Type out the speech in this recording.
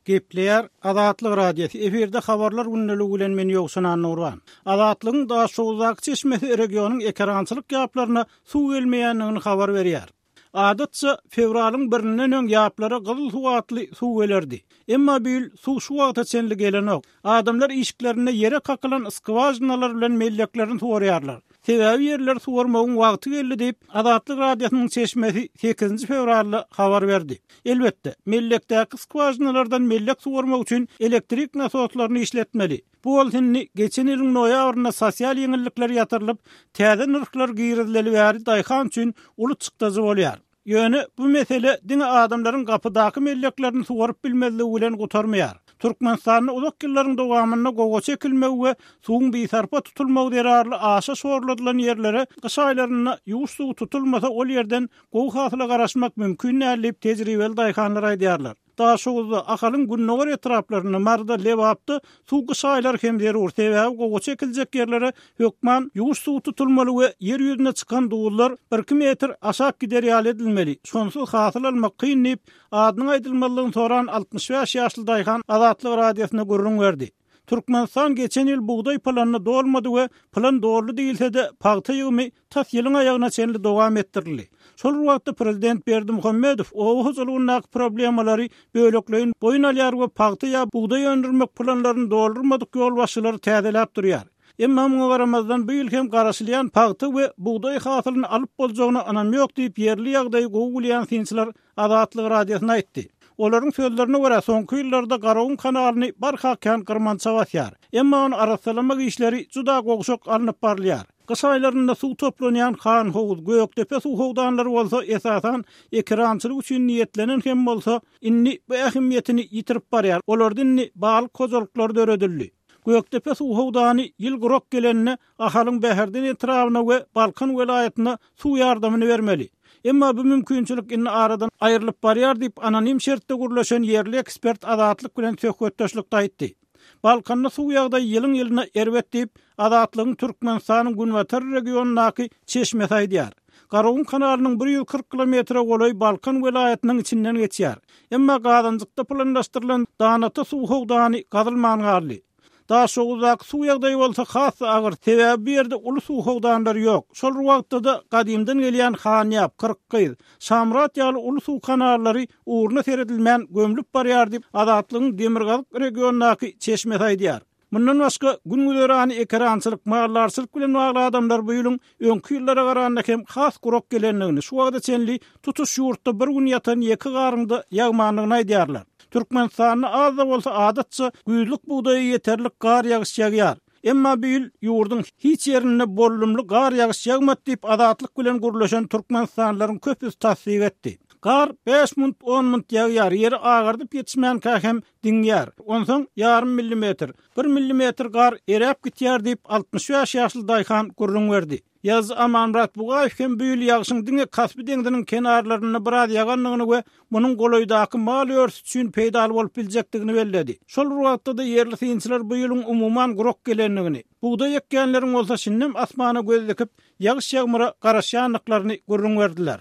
Gepleýär Azatlyk Radiosy, efirde Habarlar gündeligi bilen men Ýowşan Annagurban. Azatlygyň Daşoguzdaky çeşmesi regionyň ekerançylyk ýaplaryna suw gelmeýändigini habar berýär. Adatça, fewralyň birinden öň ýaplara gyzyl suw atly suw gelerdi. Emma bu ýyl suw şu wagta çenli gelenok. Adamlar işiklerinde ýere kakylan skwažinalar bilen melleklerini suwarýarlar. Sebäbi ýerleri suwarmagyň wagty geldi diýip, Azatlyk Radiosynyň çeşmesi sekizinji fewralda habar berdi. Elbetde, mellekdäki skwažinalardan mellek suwarmak üçin elektrik nasoslaryny işletmeli. Bu bolsa indi geçen ýylyň noýabrynda sosial ýeňillikler ýatyrylyp, täze nyrhlar girizileli bäri daýhan üçin uly çykdajy bolýar. Ýöne bu mesele diňe adamlaryň gapydaky melleklerini suwaryp bilmezligi bilen gutarmaýar. Türkmenistanda uzak ýyllaryň dowamynda gowaça ekilmegi we suwuň bisarpa tutulmagy zerarly aşa şorladylan ýerlere gyş aýlarynda ýuwuş suwy tutulmasa ol ýerden gowy hasyla garaşmak mümkin däl diýip tejribeli daýhanlar aýdýarlar. Daşoguzda, Ahalyň gündogar etraplarynda, Maryda, Lebapda suw gyş aýlary hem zerur, sebäbi gowaça ekiljek ýerlere hökman ýuwuş suwy tutulmaly we ýer ýüzüne çykan duzlar birki metr aşak gider ýaly edilmeli, şonsuz hasyl almak kyn diýip, adynyň aýdylmazlygyny soran 65 ýaşly daýhan Azatlyk Radiosyna gürrüň berdi. Türkmenistan geçen ýyl bugdaý planyna dolmady we plan doldy diýilse-de, pagta ýygymy tas ýylyň aýagyna çenli dowam etdirildi. Şol bir wagtda prezident Berdimuhamedow oba hojalygyndaky problemalary bölekleýin boýun alýar we pagta ýa bugdaý öndürmek planlaryny doldurmadyk ýolbaşçylary täzeläp durýar. Emma muňa garamazdan bu ýyl hem garaşylýan pagta we bugdaý hasylyny alyp boljagyna ynam ýok diýip ýerli ýagdaýy gowy bilýän synçylar Azatlyk Radiosyna aýtdy. Olaryň sözlerine görä, soňky ýyllarda Garagum kanalyny barha kän gyrmança basýar. Emma ony arassalamak işleri juda gowşak alnyp barylýar. Gyş aýlarynda suw toplanýan Hanhowuz, Gökdepe suw howdanlary bolsa, esasan, ekerançylyk üçin niýetlenen hem bolsa, indi bu ähmiýetini ýitirip barýar. Olarda indi balyk hojalyklary döredildi. Gökdepe suw howdany ýyl gurak gelende Ahalyň Bäherden etrabyna we Balkan welaýatyna suw ýardamyny bermeli. Emma bu mümkinçilik indi aradan aýrylyp barýar diýip, anonim şertde gürleşen ýerli ekspert Azatlyk bilen söhbetdeşlikde aýtdy. Balkanda suw ýagdaýy ýylyň-ýylyna erbet diýip, Azatlygyň Türkmenistanyň günbatar regionyndaky çeşmesi aýdýar. Garagum kanalynyň 140 kilometre golaýy Balkan welaýatynyň içinden geçýär. Emma Gazanjykda planlaşdyrylan Danata suw howdany gazylman galdy. Daşoguzdaky suw ýagdaýy bolsa has-da agyr, sebäbi bu ýerde uly suw howdanlary ýok. Şol bir wagtda-da gadymdan gelýän Hanýap, Kyrkgyz, Şamyrat ýaly uly suw kanallary ugruna seredilmän gömlüp barýar diýip, Azatlygyň demirgazyk regiondaky çeşmesi aýdýar. Mundan başga, gün-güzerany ekerançylyk, maldarçylyk bilen bagly adamlar bu ýylyň öňki ýyllara garanda hem has gurak gelendigini, şu wagta çenli tutuş ýurtda bir gün ýatan ýeke garyň-da ýagmandygyny aýdýarlar. Türkmenistanda az-da bolsa adatça güýzlük bugdaýa ýeterlik gar ýagyş ýagýar. Emma bu ýyl ýurduň hiç ýerinde bollumly gar ýagyş ýagmady diýip, Azatlyk bilen gürleşen türkmenistanlylaryň köpüsi tassyk etdi. Gar bäş munt, on munt ýagýar, ýeri agardyp ýetişmänkä hem diňýär. Onsoň ýarym millimetr, bir millimetr gar eräp gitýär diýip, 65 ýaşly daýhan gürrüň berdi. Ýazyjy Amanmyrat Bugaýew hem bu ýyl ýagşyň diňe Kaspi deňziniň kenarlarynda biraz ýagandygyny we munuň golaýdaky mal örüsi üçin peýdaly bolup biljekdigini belledi. Şol bir wagtda-da ýerli synçylar bu ýylyň umuman gurak gelendigini, bugdaý ekýänleriň bolsa şindem asmana göz dikip, ýagyş-ýagmyra garaşýandyklaryny gürrüň berdiler.